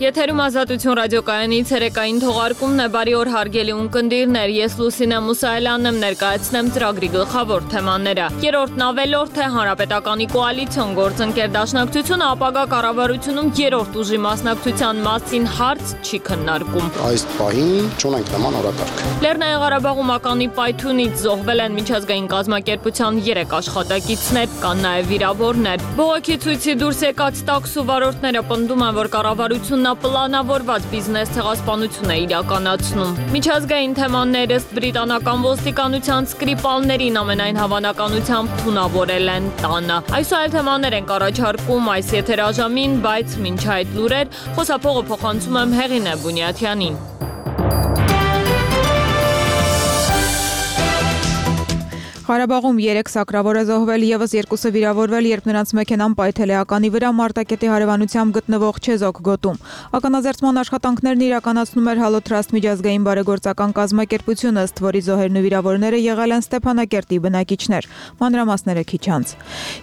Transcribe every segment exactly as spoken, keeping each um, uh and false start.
Եթերում Ազատություն ռադիոկայանի ցերեկային թողարկումն է, բարի օր հարգելի ունկնդիրներ, ես Լուսինե Մուսայելյանն եմ, ներկայացնեմ ծրագրի գլխավոր թեմաները։ Երրորդն ավելորդ է, Հանրապետականի կոալիցիոն գործընկեր դաշնակցությունը ապագա կառավարությունում երրորդ ուժի մասնակցության մասին հարց չի քննարկում։ Այս պահին չունենք նման օրակարգ։ Լեռնային Ղարաբաղում ականի պայթյունից զոհվել են միջազգային կազմակերպության երեք աշխատակիցներ, կան նաև վիրավորներ։ Բողոքի ցույցի դուրս եկած տաքսու վարորդները պնդում են, որ կառավարությունն պլանավորված բիզնես ցեղասպանություն է իրականացնում։ Միջազգային թեմաներ ըստ բրիտանական ոստիկանության սկրիպալներին ամենայն հավանականությամբ թունավորել են տանը։ Այսօր այլ թեմաներ ենք առաջարկում այս եթերաժամին, բայց մինչ այդ լուրեր, խոսափողը փոխանցում եմ Հեղինե Բունյաթյանին։ Ղարաբաղում երեք սակրավոր է զոհվել, ևս երկուսը վիրավորվել, երբ նրանց մեքենան պայթել է ականի վրա Մարտակետի հարևանությամբ գտնվող Չեզոք գոտում։ Ականաձերծման աշխատանքներն իրականացնում էր Հալոթրաստ միջազգային բարեգործական կազմակերպությունը, ըստ որի զոհերն ու վիրավորները եղել են Ստեփանակերտի բնակիչներ։ Մանրամասները քիչ անց։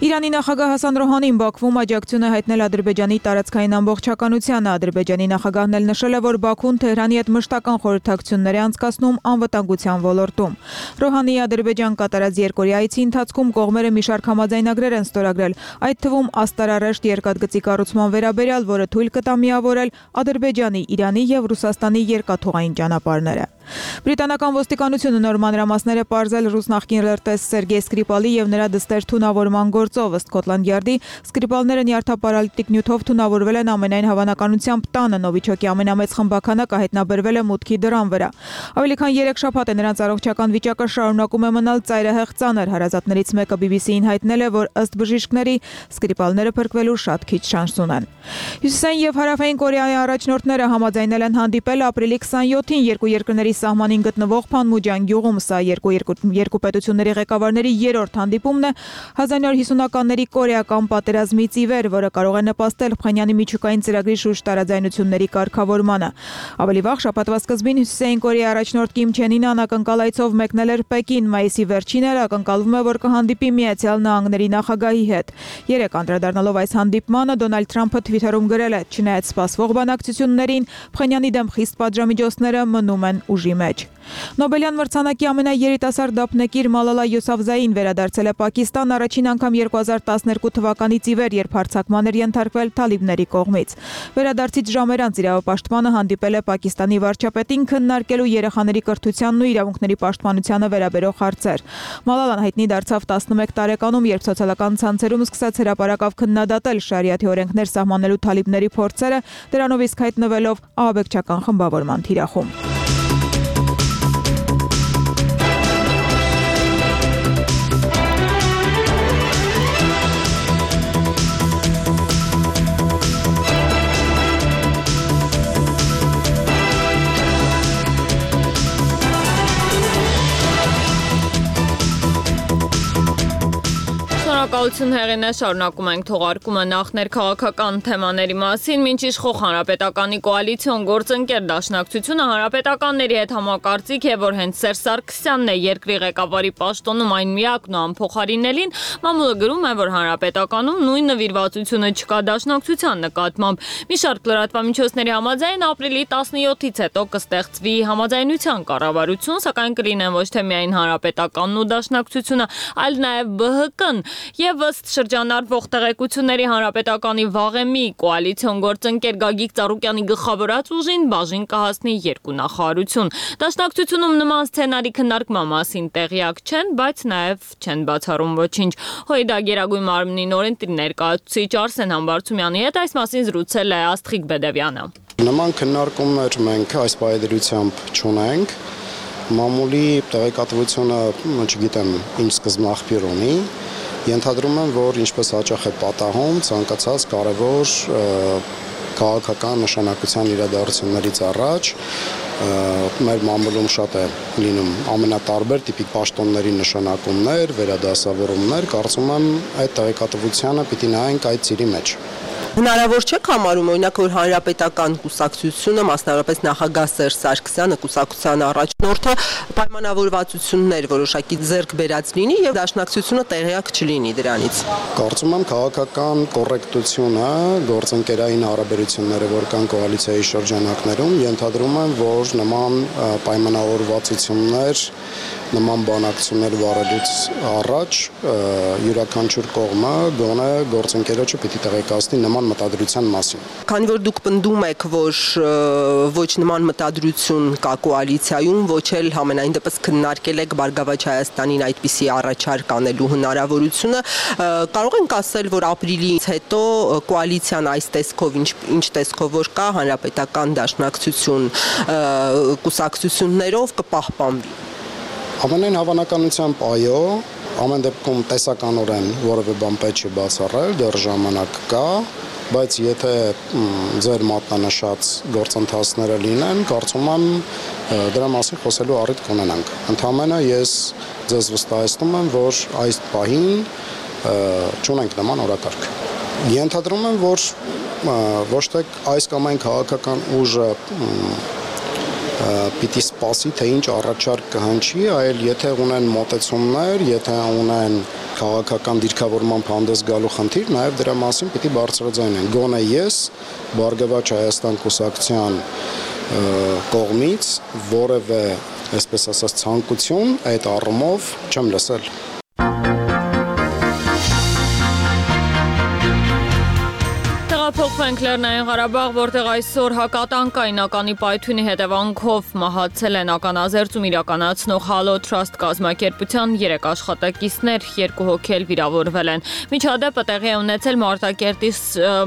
Իրանի նախագահ Հասան Ռոհանին Բաքվում աջակցություն է հայտնել Ադրբեջանի տարածքային ամբողջականությանը։ Ադրբեջանի նախագահն էլ նշել է, որ Բաքուն Թեհրանի հետ մշտական խորհրդակցություններ է անցկացնում անվտանգության ոլորտում։ Ռոհանիի Ադրբեջան կատարած երկօրյա այցի ընթացքում կողմերը մի շարք համաձայնագրեր են ստորագրել, այդ թվում աստարարեշտ երկաթգծի կառուցման վերաբերյալ, որը թույլ կտա միավորել Ադրբեջանի, Իրանի եւ Ռուսաստանի երկաթուղային ճանապարհները։ Բրիտանական ոստիկանությունը նոր մանրամասներ է պարզել ռուս նախկին լրտես Սերգեյ Սկրիպալի եւ նրա դստեր թունավորման գործով, ըստ Սկոտլանդ Յարդի, Սկրիպալները նյարդապարալիտիկ նյութով թունավորվել են ամենայն հավանականությամբ տանը, Նովիչոկի ամենամեծ խմբականակը հայտնաբերվել է մուտքի դռան վրա։ Ավելի քան երեք շաբաթ է նրանց առողջական վիճակը շարունակում է մնալ ծայրահեղ ծանր, հարազատներից մեկը բի բի սի-ին հայտնել է, որ ըստ բժիշկների Սկրիպալները փրկվելու շատ քիչ շանս ունեն։ Հյուսիսային եւ հարավային Կորեայի առաջնորդները համաձայնել են հանդիպել ապրիլի քսանյոթին երկու երկրների սահմանին գտնվող Փանմուջան գյուղում, սա երկու, երկու, երկու պետությունների ղեկավարների երրորդ հանդիպումն է հազար նոր հիսունականների կորեական պատերազմից ի վեր, որը կարող է նպաստել Փխանյանի միջուկային ծրագրի շուրջ տարաձայնությունների կարգավորմանը։ Ավելի վաղ շաբաթվա սկզբին Հյուսիսային Կորեայի առաջնորդ Կիմ Չեն Ինը անակնկալ այցով մեկնել էր Պեկին, մայիսի վերջին էր ակնկալվում է, որ կհանդիպի Միացյալ Նահանգների նախագահի հետ։ Երեք անդրադառնալով այս հանդիպմանը Դոնալդ Թրամփը Թվիթերում գրել է. «Չնայած սպասվող բանակցություններին, Փխանյանի դեմ խիստ պատժամիջոցները մնում են ուժի մեջ»։ Նոբելյան մրցանակի ամենաերիտասարդ դափնեկիր Մալալա Յուսաֆզային վերադարձել է Պակիստան առաջին անգամ երկու հազար տասներկու թվականից ի վեր, երբ հարձակման էր ենթարկվել թալիբների կողմից։ Վերադարձից ժամեր անց իրավապաշտպանը հանդիպել է Պակիստանի վարչապետին քննարկելու երեխաների կրթությանն ու իրավունքների պաշտպանությանը վերաբերող հարցեր։ Մալալան հայտնի դարձավ տասնմեկ տարեկանում, երբ սոցիալական ցանցերում սկսեց հրապարակավ քննադատել շարիաթի օրենքներ սահմանելու թալիբների փորձերը, դրանով իսկ հայտնվելով ահաբեկչական խմբավորման թիրախում։ Շնորհակալություն Հեղինե, շարունակում ենք թողարկումը նախ ներքաղաքական թեմաների մասին, մինչ իշխող Հանրապետականի կոալիցիոն գործընկեր դաշնակցությունը հանրապետականների հետ համակարծիք է, որ հենց Սերժ Սարգսյանն է երկրի ղեկավարի պաշտոնում այն միակն ու անփոխարինելին, մամուլը գրում է, որ Հանրապետականում նույն նվիրվածությունը չկա դաշնակցության նկատմամբ։ Մի շարք լրատվամիջոցների համաձայն ապրիլի տասնյոթից հետո կստեղծվի համաձայնության կառավարություն, սակայն կլինեն ոչ թե միայն Հանրապետականն ու դաշնակցությունը, այլ նաև Բ Հ Կն։ Եվ ըստ շրջանառվող տեղեկությունների Հանրապետականի վաղեմի կոալիցիոն գործընկեր Գագիկ Ծառուկյանի գլխավորած ուժին բաժին կհասնի երկու նախարարություն։ Դաշնակցությունում նման սցենարի քննարկման մասին տեղյակ չեն, բայց նաև չեն բացառում ոչինչ։ ՀՅԴ Գերագույն մարմնի նորընտիր ներկայացուցիչ Արսեն Համբարձումյանի հետ այս մասին զրուցել է Աստղիկ Բեդևյանը։ Նման քննարկումներ մենք այս պայմաններությամբ չունենք։ Մամուլի տեղեկատվությունը, չգիտեմ, ինչ սկզբնաղբյուր ունի։ Ենթադրում եմ, որ ինչպես հաճախ է պատահում, ցանկացած կարևոր քաղաքական նշանակության իրադարձություններից առաջ մեր մամուլում շատ է լինում ամենատարբեր տիպիկ պաշտոնների նշանակումներ, վերադասավորումներ, կարծում եմ այդ տեղեկատվությանը պիտի նայենք այդ ծիրի մեջ։ Հնարավոր չէ համարում օրինակ որ հանրապետական կուսակցությունը, մասնավորապես նախագահ Սերժ Սարգսյանը, կուսակցության առաջնորդը պայմանավորվածություններ որոշակի ձեռք բերած լինի եւ դաշնակցությունը տեղյակ չլինի դրանից։ Կարծում եմ քաղաքական կոռեկտությունը, գործընկերային հարաբերությունները, որ կան կոալիցիայի շրջանակներում, ենթադրում են, որ նման պայմանավորվածություններ, նման բանակցություններ վարելուց առաջ յուրաքանչյուր կողմը գոնե գործընկերոջը պիտի տեղեկացնի նման մտադրության մասին։ Քանի որ դուք պնդում եք, որ ոչ նման մտադրություն կա կոալիցիայում, ոչ էլ համենայն դեպս քննարկել եք Բարգավաճ Հայաստանին այդպիսի առաջարկ անելու հնարավորությունը, կարող ենք ասել, որ ապրիլից հետո կոալիցիան այս տեսքով ինչ, ինչ տեսքով որ կա հանրապետական դաշնակցություն կուսակցություններով կպահպանվի։ Ամենայն հավանականությամբ այո, ամեն դեպքում տեսականորեն որևէ բան պետք չի բացառել, դեռ ժամանակ կա, բայց եթե ձեր մատնանշած գործընթացները լինեն, կարծում եմ դրա մասին խոսելու առիթ կունենանք։ Ընդհանրապես ես ձեզ վստահեցնում եմ, որ այս պահին չունենք նման օրակարգ։ Ենթադրում եմ, որ ոչ թե այս կամ այն քաղաքական ուժը պիտի սպասի, թե ինչ առաջարկ կհնչի, այլ եթե ունեն մոտեցումներ, եթե ունեն քաղաքական դիրքավորմամբ հանդես գալու խնդիր, նաև դրա մասին պիտի բարձրաձայնեն։ Գոնե ես Բարգավաճ Հայաստան կուսակցության կողմից որևէ, այսպես ասած, ցանկություն այդ առումով չեմ լսել։ Փոխվենք Լեռնային Ղարաբաղ, որտեղ այսօր հակատանկայնականի պայթյունի հետևանքով մահացել են ականազերծում իրականացնող Halo Trust կազմակերպության երեք աշխատակիցներ, երկու հոգի էլ վիրավորվել են։ Միջադեպը տեղի է ունեցել Մարտակերտի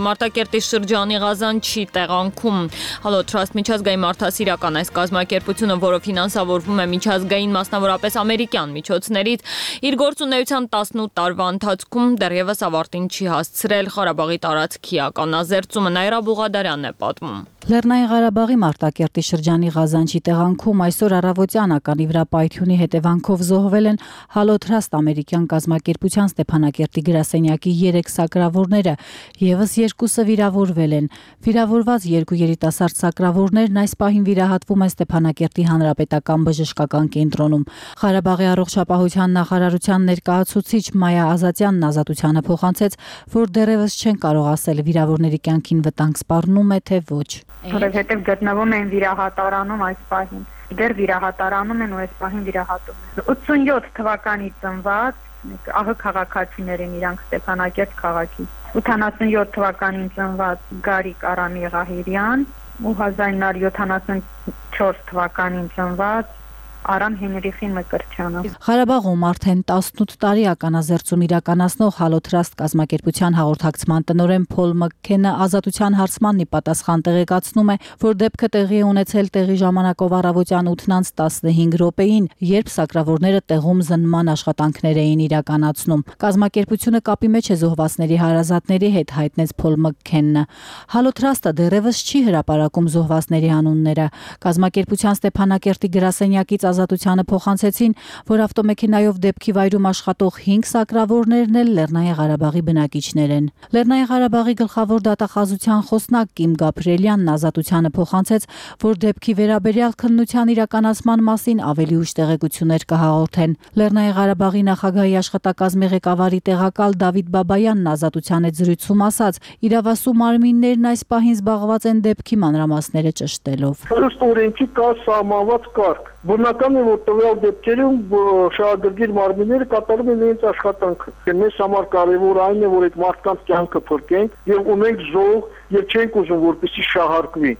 Մարտակերտի շրջանի Ղազանչի տեղանքում։ Halo Trust միջազգային մարդասիրական այս կազմակերպությունը, որը ֆինանսավորվում է միջազգային, մասնավորապես ամերիկյան միջոցներից, իր գործունեության տասնութ տարվա ընթացքում դեռևս ավարտին չի հասցրել Ղարաբաղի տարածքի ականազերծումը։ Նաիրա Բուղադարյանն է պատմում։ Լեռնային Ղարաբաղի Մարտակերտի շրջանի Ղազանչի տեղանքում այսօր առավոտյան ականի վրա պայթյունի հետևանքով զոհվել են Halo Trust ամերիկյան կազմակերպության Ստեփանակերտի գրասենյակի երեք սակրավորները, եւս երկուսը վիրավորվել են։ Վիրավորված երկու երիտասարդ սակրավորներն այս պահին վիրահատվում են Ստեփանակերտի հանրապետական բժշկական կենտրոնում։ Ղարաբաղի առողջապահության նախարարության ներկայացուցիչ Մայա Ազատյանն ազատությանը փոխանցեց, որ դեռևս չեն կարող ասել վիրավորների կյանքին վտանգ սպառնում է թե ոչ։ Որովհետև գտնվում են վիրահատարանում այս պահին։ Դեռ վիրահատարանում են ու այս պահին վիրահատում են։ ութսունյոթ թվականի ծնված աղ քաղաքացիներ են իրանք Ստեփանակերտ քաղաքի։ ութանասունյոթ թվականին ծնված Գարիկ Արամի Ղահիրյան ու հազար նոր յոթանասունչորս թվականին ծնված Արամ Հենրիխի Մկրտչյանը։ Ղարաբաղում արդեն տասնութ տարի ականազերծում իրականացնող Halo Trust կազմակերպության հաղորդակցման տնօրեն Փոլ Մքքենը ազատության հարցմանն ի պատասխան տեղեկացնում է, որ դեպքը տեղի է ունեցել տեղի ժամանակով առավոտյան ութն տասնհինգ րոպեին, երբ սակրավորները տեղում զննման աշխատանքներ էին իրականացնում։ Կազմակերպությունը կապի մեջ է զոհվածների հարազատների հետ, հայտնեց Փոլ Մքքենը։ Halo Trust-ը դեռևս չի հրապարակում զոհվածների անունները։ Կազմակերպության Ստեփանակերտի գրասենյակից ազատությանը փոխանցեցին, որ ավտոմեքենայով դեպքի վայրում աշխատող հինգ սակրավորներն էլ Լեռնային Ղարաբաղի բնակիչներ են։ Լեռնային Ղարաբաղի գլխավոր դատախազության խոսնակ Կիմ Գաբրիելյանն ազատությանը փոխանցեց, որ դեպքի վերաբերյալ քննության իրականացման մասին ավելի ուշ տեղեկություններ կհաղորդեն։ Լեռնային Ղարաբաղի նախագահի աշխատակազմի ղեկավարի տեղակալ Դավիթ Բաբայանն ազատության հետ զրույցում ասաց, իրավասու մարմիններն այս պահին զբաղված են դեպքի մանրամասները ճշտելով։ Ըստ օրենքի կա սահմանված կարգ։ Բնական է, որ տվյալ դեպքերում շահագրգիռ մարմինները կատարում են իրենց աշխատանքը։ Մեզ համար կարևոր այն է, որ այդ մարդկանց կյանքը փրկենք եւ ունենք զոհ եւ չենք ուզում, որպեսզի շահարկվի։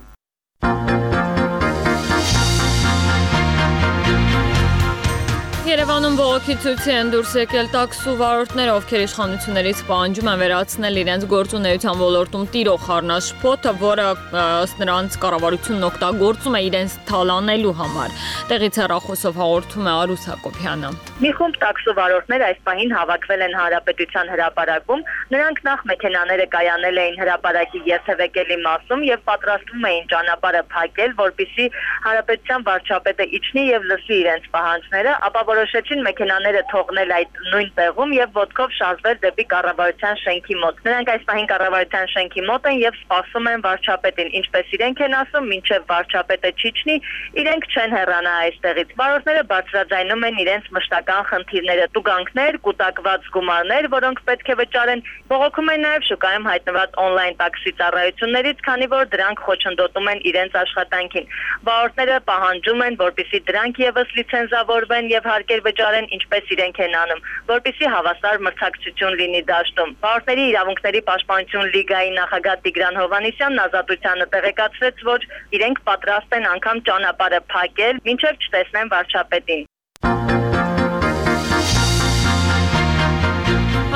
Երևանում բողոքի ցույցի են դուրս եկել տաքսու վարորդները, ովքեր իշխանություններից պահանջում են վերացնել իրենց գործունեության ոլորտում տիրող խառնաշփոթը, որը ըստ նրանց կառավարությունն օգտագործում է իրենց թալանելու համար։ Տեղից հեռախոսով հաղորդում է Արուս Հակոբյանը։ Մի խումբ տաքսու վարորդներ այս պահին հավաքվել են Հանրապետության հրապարակում։ Նրանք նախ մեքենաները կայանել էին հրապարակի երթևեկելի մասում եւ պատրաստվում էին ճանապարհը փակել, որպեսզի Հանրապետության վարչապետը իջնի եւ լսի իրենց պահանջները, ապա որոշ որոշեցին մեքենաները թողնել այդ նույն տեղում եւ ոտքով շարժվել դեպի կառավարության շենքի մոտ։ Նրանք այս պահին կառավարության շենքի մոտ են եւ սպասում են վարչապետին, ինչպես իրենք են ասում, մինչեւ վարչապետը չիջնի, իրենք չեն հեռանա այստեղից։ Վարորդները բարձրաձայնում են իրենց մշտական խնդիրները՝ տուգանքներ, կուտակված գումարներ, որոնք պետք է վճարեն։ Բողոքում են նաեւ շուկայում հայտնված on-line տաքսի ծառայություններից, քանի որ դրանք խոչընդոտում են իրենց աշխատանքին։ Վարորդները պահանջում են, որպեսզի դրանք եւս լիցենզավորվեն եւ հարկեր վճարեն, ինչպես իրենք են անում, որպեսզի հավասար մրցակցություն լինի դաշտում։ Վարորդների իրավունքների պաշտպանություն լիգայի նախագահ Տիգրան Հովհաննիսյանն Ազատությանը տեղեկացրեց, որ իրենք պատրաստ են անգամ ճանապարհը փակել, մինչև չտեսնեն վարչապետին։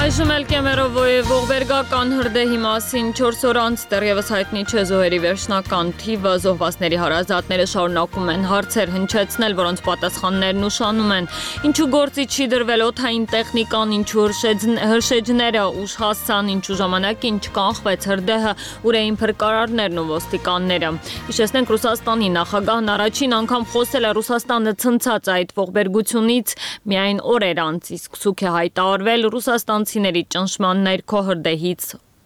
Այժմ էլ Կեմերովոյի ողբերգական հրդեհի մասին չորս օր անց դեռևս հայտնի չէ զոհերի վերջնական թիվը, զոհվածների հարազատները շարունակում են հարցեր հնչեցնել, որոնց պատասխաններն ուշանում են։ Ինչու գործի չի դրվել օդային տեխնիկան, ինչու հրշեջները ուժ հասան, ինչու ժամանակին չկանխվեց հրդեհը, ուր էին փրկարարներն ու ոստիկանները։ Հիշեցնենք, Ռուսաստանի նախագահն առաջին անգամ խոսել է Ռուսաստանը ցնցած այդ ողբերգությունից միայն օրեր անց, իսկ ցույց է հայտարարվել Ռուսաստանցիների ճնշման ներքո հրդեհից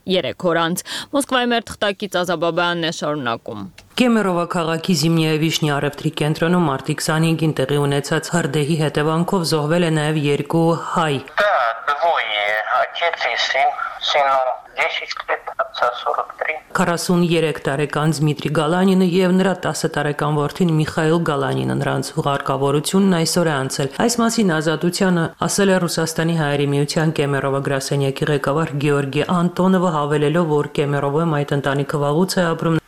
երեք օր անց։ Մոսկվայի մեր թղթակից Ազաբաբյանն է շարունակում։ Կեմերովա քաղաքի Զիմնիա Վիշնի առևտրի կենտրոնում մարտի քսանհինգին տեղի ունեցած հրդեհի հետևանքով զոհվել է նաև երկու հայ։ քառասուններեք տարեկան Դմիտրի Գալանինը եւ նրա տասը տարեկան որդին Միխայիլ Գալանինը նրանց հուղարկավորությունն այսօր է անցել։ Այս մասին Ազատությանը ասել է Ռուսաստանի հայերի միության Կեմերովա գրասենյակի ղեկավար Գեորգի Անտոնովը, հավելելով, որ Կեմերովոյում այդ ընտանիքը վաղուց է ապրում։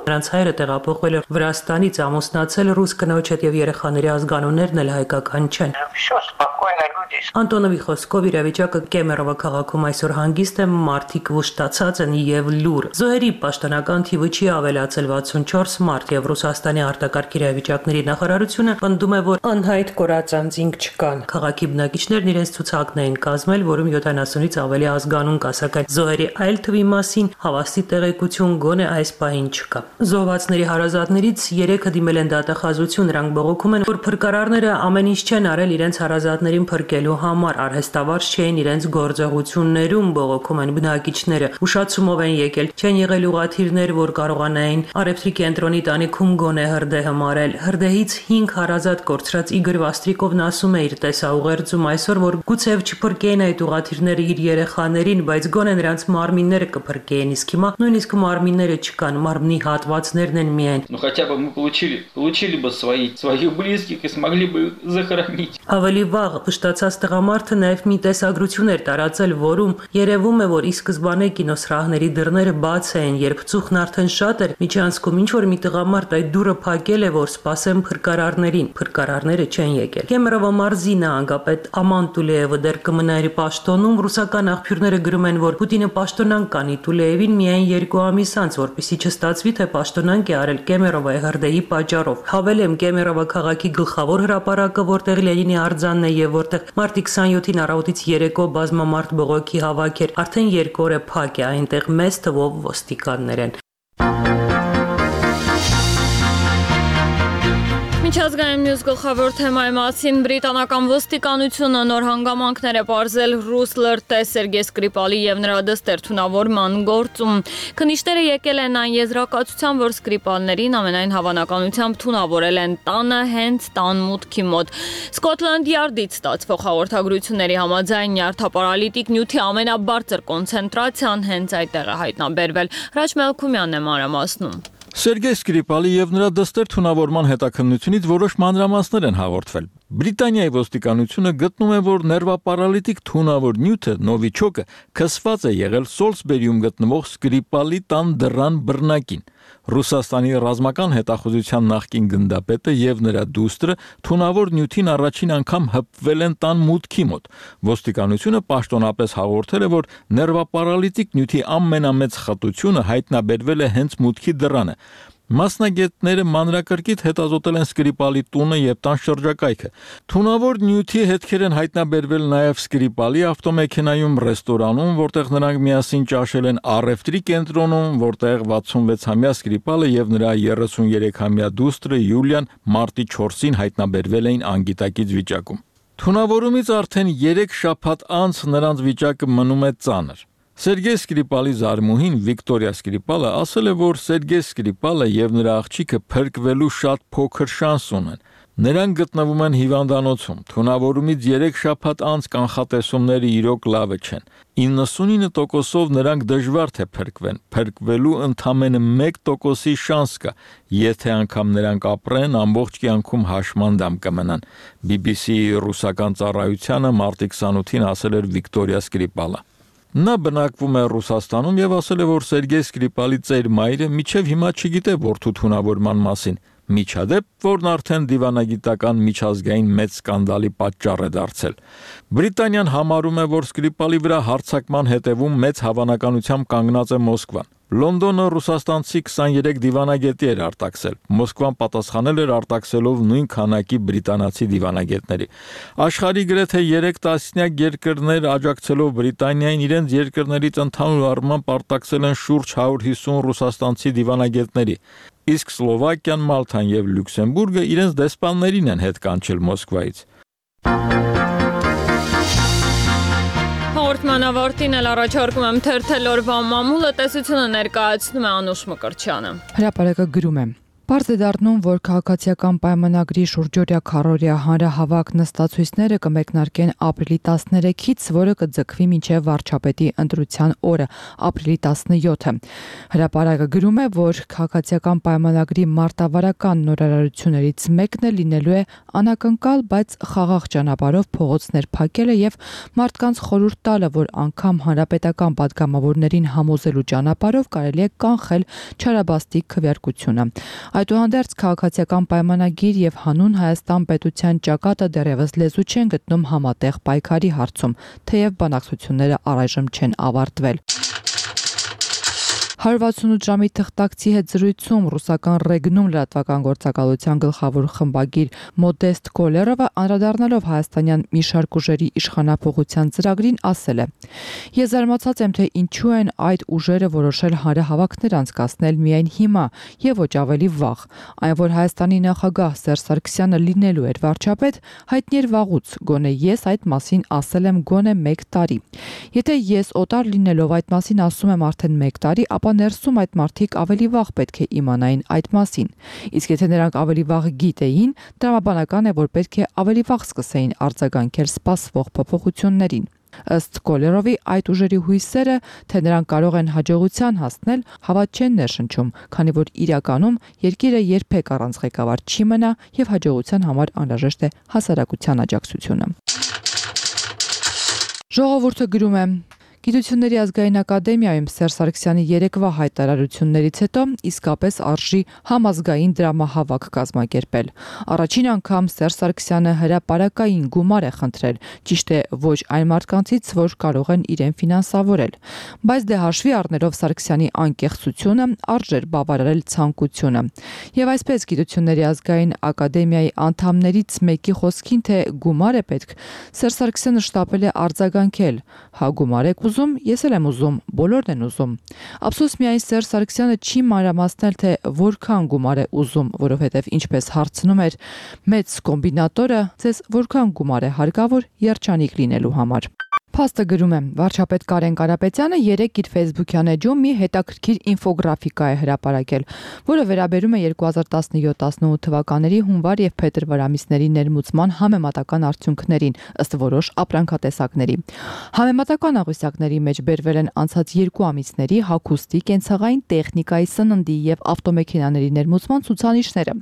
Նրանց հայրը տեղափոխվել է Վրաստանից, ամուսնացել ռուս կնոջ հետ եւ երեխաների ազգանուններն էլ հայկական չեն։ Անտոնովի խոսքով իրավիճակը Կեմերովա քաղաքում այսօր հանգիստ է, մարդիկ վշտացած են եւ լուր։ Զոհերի պաշտոնական թիվը չի ավելացել վաթսունչորս մարդ եւ Ռուսաստանի արտակարգ իրավիճակների նախարարությունը պնդում է, որ անհայտ կորած անձինք չկան։ Քաղաքի բնակիչներն իրենց ցուցակն էին կազմել, որում յոթանասունից ավելի ազգանուն կա, սակայն զոհերի այլ թվի մասին հավաստի տեղեկություն գոնե այս պահին չկա։ Զոհվածների հարազատներից երեքը դիմել են դատախազություն, նրանք բողոքում են, որ փրկարարները ամեն ինչ չեն արել իրենց հարազատներին փրկելու համար, արհեստավարժ չէին իրենց գործողություններում, բողոքում են բնակիչները, ուշացումով են եկել, չեն եղել ուղաթիռներ, որ կարողանային առևտրի կենտրոնի տանիքում գոնե հրդեհը մարել։ Հրդեհից հինգ հարազատ կորցրած Իգոր Վաստրիկովն ասում է իր տեսաուղերձում այսօր, որ գուցեև չփրկեին այդ ուղաթիռները իր երեխաներին, բայց գոնե նրանց մարմինները կփրկեին, իսկ հիմա նույնիսկ մարմինները չկան, մարմնի հատվածներն են միայն։ Ну хотя бы мы получили, получили бы свои, своих близких и смогли бы захоронить. Ավելի վաղ վշտացած տղամարդը նաև մի տեսագրություն էր տարածել, որում երևում է, որ ի սկզբանե կինոսրահների դռները բաց էին, երբ ծուխն արդեն շատ էր, միջանցքում ինչ որ մի տղամարդ այդ դուռը փակել է, որ սպասեն փրկարարներին։ Փրկարարները չեն եկել։ Կեմերովա մարզի նահանգապետ Աման Տուլեևը դեռ կմնա իր պաշտոնում, ռուսական աղբյուրները գրում են, որ Պուտինը պաշտոնանկ կանի Տուլեևին միայն երկու ամիս անց, որպեսզի չստացվի, թե պաշտոնանկ է արել Կեմերովայի հրդեհի պատճառով։ Հավելեմ, Կեմերովա քաղաքի գլխավոր հրապարակը, որտեղ Լենինի արձանն է եւ որտեղ մարտի քսանյոթին առավոտից երեկո բազմամարդ բողոքի հավաք էր, արդեն երկու օր է փակ է, այնտեղ մեծ թվով ոստիկաններ են։ Միջազգային մյուս գլխավոր թեմայի մասին բրիտանական ոստիկանությունը նոր հանգամանքներ է պարզել ռուս լրտե Սերգեյ Սկրիպալի եւ նրա դստեր թունավորման գործում։ Քննիչները եկել են այն եզրակացության, որ Սկրիպալներին ամենայն հավանականությամբ թունավորել են տանը հենց տան մուտքի մոտ։ Սկոթլանդ Յարդից ստացվող հաղորդագրությունների համաձայն նյարդապարալիտիկ նյութի ամենաբարձր կոնցենտրացիան հենց այդտեղ է հայտնաբերվել։ Հրաչ Մելքումյանն է մանրամասնում։ Սերգեյ Սկրիպալի եւ նրա դստեր թունավորման հետաքննությունից որոշ մանրամասներ են հաղորդվել։ Բրիտանիայի ոստիկանությունը գտնում է, որ ներվապարալիտիկ թունավոր նյութը նովիչոկը քսված է եղել Սոլսբերիում գտնվող Սկրիպալի տան դռան բռնակին։ Ռուսաստանի ռազմական հետախուզության նախկին գնդապետը եւ նրա դուստրը թունավոր նյութին առաջին անգամ հպվել են տան մուտքի մոտ։ Ոստիկանությունը պաշտոնապես հաղորդել է, որ ներվապարալիտիկ նյութի ամենամեծ խտությունը հայտնաբերվել է հենց մուտքի դռանը։ Մասնագետները մանրակրկիտ հետազոտել են Սկրիպալի տունը եւ տան շրջակայքը։ Թունավոր նյութի հետքեր են հայտնաբերվել նաեւ Սկրիպալի ավտոմեքենայում, ռեստորանում, որտեղ նրանք միասին ճաշել են, առևտրի կենտրոնում, որտեղ վաթսունվեցամյա Սկրիպալը եւ նրա երեսուներեքամյա դուստրը Յուլիան մարտի չորսին հայտնաբերվել էին անգիտակից վիճակում։ Թունավորումից արդեն երեք շաբաթ անց նրանց վիճակը մնում է ծանր։ Սերգեյ Սկրիպալի զարմուհին Վիկտորիա Սկրիպալը ասել է, որ Սերգեյ Սկրիպալը եւ նրա աղջիկը փրկվելու շատ փոքր շանս ունեն։ Նրանք գտնվում են հիվանդանոցում։ Թունավորումից երեք շաբաթ անց կանխատեսումները իրոք լավը չեն։ իննսունինը տոկոսով նրանք դժվար թե փրկվեն։ Փրկվելու ընդամենը մեկ տոկոսի շանս կա, եթե անգամ նրանք ապրեն, ամբողջ կյանքում հաշմանդամ կմնան։ բի բի սի ռուսական ծառայությանը մարտի քսանութին ասել էր Վիկտորիա Սկրիպալը։ Նա բնակվում է Ռուսաստանում եւ ասել է, որ Սերգեյ Սկրիպալի ծեր մայրը միջև հիմա չգիտե որդու թունավորման մասին։ Միջադեպ, որն արդեն դիվանագիտական միջազգային մեծ սկանդալի պատճառ է դարձել։ Բրիտանիան համարում է, որ Սկրիպալի վրա հարձակման հետևում մեծ հավանականությամբ կանգնած է Մոսկվան։ Լոնդոնը ռուսաստանցի քսաներեք դիվանագետի էր արտաքսել։ Մոսկվան պատասխանել էր արտաքսելով նույն քանակի բրիտանացի դիվանագետների։ Աշխարհի գրեթե երեք տասնյակ երկրներ աջակցելով Բրիտանիային իրենց երկրներից ընդհանուր առմամբ արտաքսել են շուրջ հարյուր հիսուն ռուսաստանցի դիվանագետների։ Իսկ Սլովակիան, Մալթան եւ Լյուքսեմբուրգը իրենց դեսպաններին են հետ կանչել Մոսկվայից։ Հաղորդման ավարտին էլ առաջարկում եմ թերթել օրվա մամուլը, տեսությունը ներկայացնում է Անուշ Մկրտչյանը։ Հրապարակը գրում է. Պարզ է դառնում, որ քաղաքացիական պայմանագրի շուրջօրյա քառօրյա հանրահավաք նստացույցները կմեկնարկեն ապրիլի տասներեքից, որը կձգվի մինչև վարչապետի ընտրության օրը, ապրիլի տասնյոթը։ Հրապարակը գրում է, որ քաղաքացիական պայմանագրի մարտավարական նորարարություններից մեկն է լինելու է անակնկալ, բայց խաղաղ ճանապարհով փողոցներ փակելը եւ մարդկանց խորհուրդ տալը, որ անգամ հանրապետական պատգամավորներին համոզելու ճանապարհով կարելի է կանխել չարաբաստիկ քվեարկությունը։ Այդուհանդերձ քաղաքացիական պայմանագիր եւ հանուն Հայաստան պետության ճակատը դեռևս լեզու չեն գտնում համատեղ պայքարի հարցում, թեև բանակցությունները առայժմ չեն ավարտվել։ հարյուր վաթսունութ ժամի թղթակցի հետ զրույցում ռուսական Ռեգնում լրատվական գործակալության գլխավոր խմբագիր Մոդեստ Կոլերովը անդրադառնալով հայաստանյան մի շարք ուժերի իշխանափոխության ծրագրին ասել է. Ես զարմացած եմ, թե ինչու են այդ ուժերը որոշել հանրահավաքներ անցկացնել միայն հիմա եւ ոչ ավելի վաղ։ Այն, որ Հայաստանի նախագահ Սերժ Սարգսյանը լինելու էր վարչապետ, հայտնի էր վաղուց, գոնե ես այդ մասին ասել եմ գոնե մեկ տարի։ Եթե ես օտար լինելով այդ մասին ասում եմ արդեն մեկ տարի, ապա ներսում այդ մարդիկ ավելի վաղ պետք է իմանային այդ մասին։ Իսկ եթե նրանք ավելի վաղ գիտեին, տրամաբանական է, որ պետք է ավելի վաղ սկսեին արձագանքել սպասվող փոփոխություններին։ Ըստ Կոլերովի, այդ ուժերի հույսերը, թե նրանք կարող են հաջողության հասնել, հավատ չեն ներշնչում, քանի որ իրականում երկիրը երբեք առանց ղեկավար չի մնա եւ հաջողության համար անհրաժեշտ է հասարակության աջակցությունը։ Ժողովուրդը գրում է. Գիտությունների ազգային ակադեմիայում Սերժ Սարգսյանի երեկվա հայտարարություններից հետո իսկապես արժի համազգային դրամահավաք կազմակերպել։ Առաջին անգամ Սերժ Սարգսյանը հրապարակային գումար է խնդրել, ճիշտ է ոչ այն մարդկանցից, որ կարող են իրեն ֆինանսավորել։ Բայց դե հաշվի առնելով Սարգսյանի անկեղծությունը, արժեր բավարարել ցանկությունը։ Եվ այսպես Գիտությունների ազգային ակադեմիայի անդամներից մեկի խոսքին, թե գումար է պետք, Սերժ Սարգսյանը շտապել է արձագանքել. հա գումար եք ուզում, ես էլ եմ ուզում, բոլորն են ուզում։ Ափսոս միայն Սերժ Սարգսյանը չի մանրամասնել, թե որքան գումար է ուզում, որովհետև ինչպես հարցնում էր մեծ կոմբինատորը, ձեզ որքան գումար է հարկավոր երջանիկ լինելու համար։ Փաստը գրում է. վարչապետ Կարեն Կարապետյանը երեկ իր Facebook-յան էջում մի հետաքրքիր ինֆոգրաֆիկա է հրապարակել, որը վերաբերում է երկու հազար տասնյոթ տասնութ թվականների հունվար եւ փետրվար ամիսների ներմուծման համեմատական արդյունքներին ըստ որոշ ապրանքատեսակների։ Համեմատական աղյուսակների մեջ բերվել են անցած երկու ամիսների հագուստի, կենցաղային տեխնիկայի, սննդի եւ ավտոմեքենաների ներմուծման ցուցանիշները։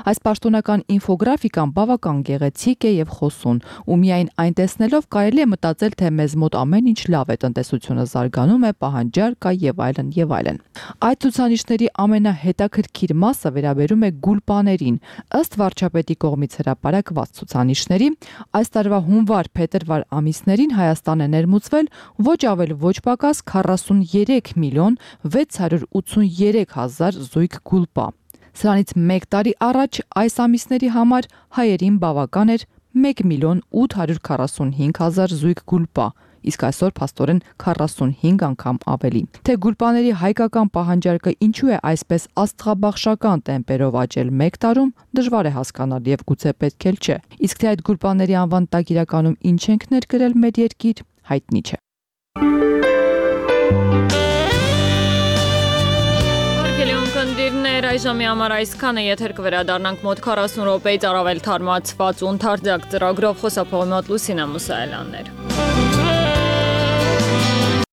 Այս պաշտոնական ինֆոգրաֆիկան բավական գեղեցիկ է եւ խոսուն, ու միայն այն տեսնելով կարելի է մտածել, թե մեզ մոտ ամեն ինչ լավ է, տնտեսությունը զարգանում է, պահանջար կա եւ այլն եւ այլն։ Այդ ցուցանիշների ամենահետաքրքիր մասը վերաբերում է գուլպաներին։ Ըստ վարչապետի կողմից հրապարակված ցուցանիշների, այս տարվա հունվար-փետրվար ամիսներին Հայաստան է ներմուծվել ոչ ավել ոչ պակաս քառասուններեք միլիոն վեց հարյուր ութսուներեք հազար զույգ գուլպա։ Սրանից մեկ տարի առաջ այս ամիսների համար հայերին բավական էր մեկ միլիոն ութ հարյուր քառասունհինգ հազար զույգ գուլպա, իսկ այսօր փաստորեն քառասունհինգ անգամ ավելի։ Թե գուլպաների հայկական պահանջարկը ինչու է այսպես աստղաբաշխական տեմպերով աճել մեկ տարում, դժվար է հասկանալ եւ գուցե պետք էլ չէ։ Իսկ թե այդ գուլպաների անվան տակ իրականում ինչ ենք ներկրել մեր երկիր, հայտնի չէ։ Կնդիրներ այժմի համար այսքանը, եթեր կվերադառնանք մոտ քառասուն րոպեից առավել թարմացված ու ընդարձակ ծրագրով, խոսափողի մոտ Լուսինա Մուսայելյաններ։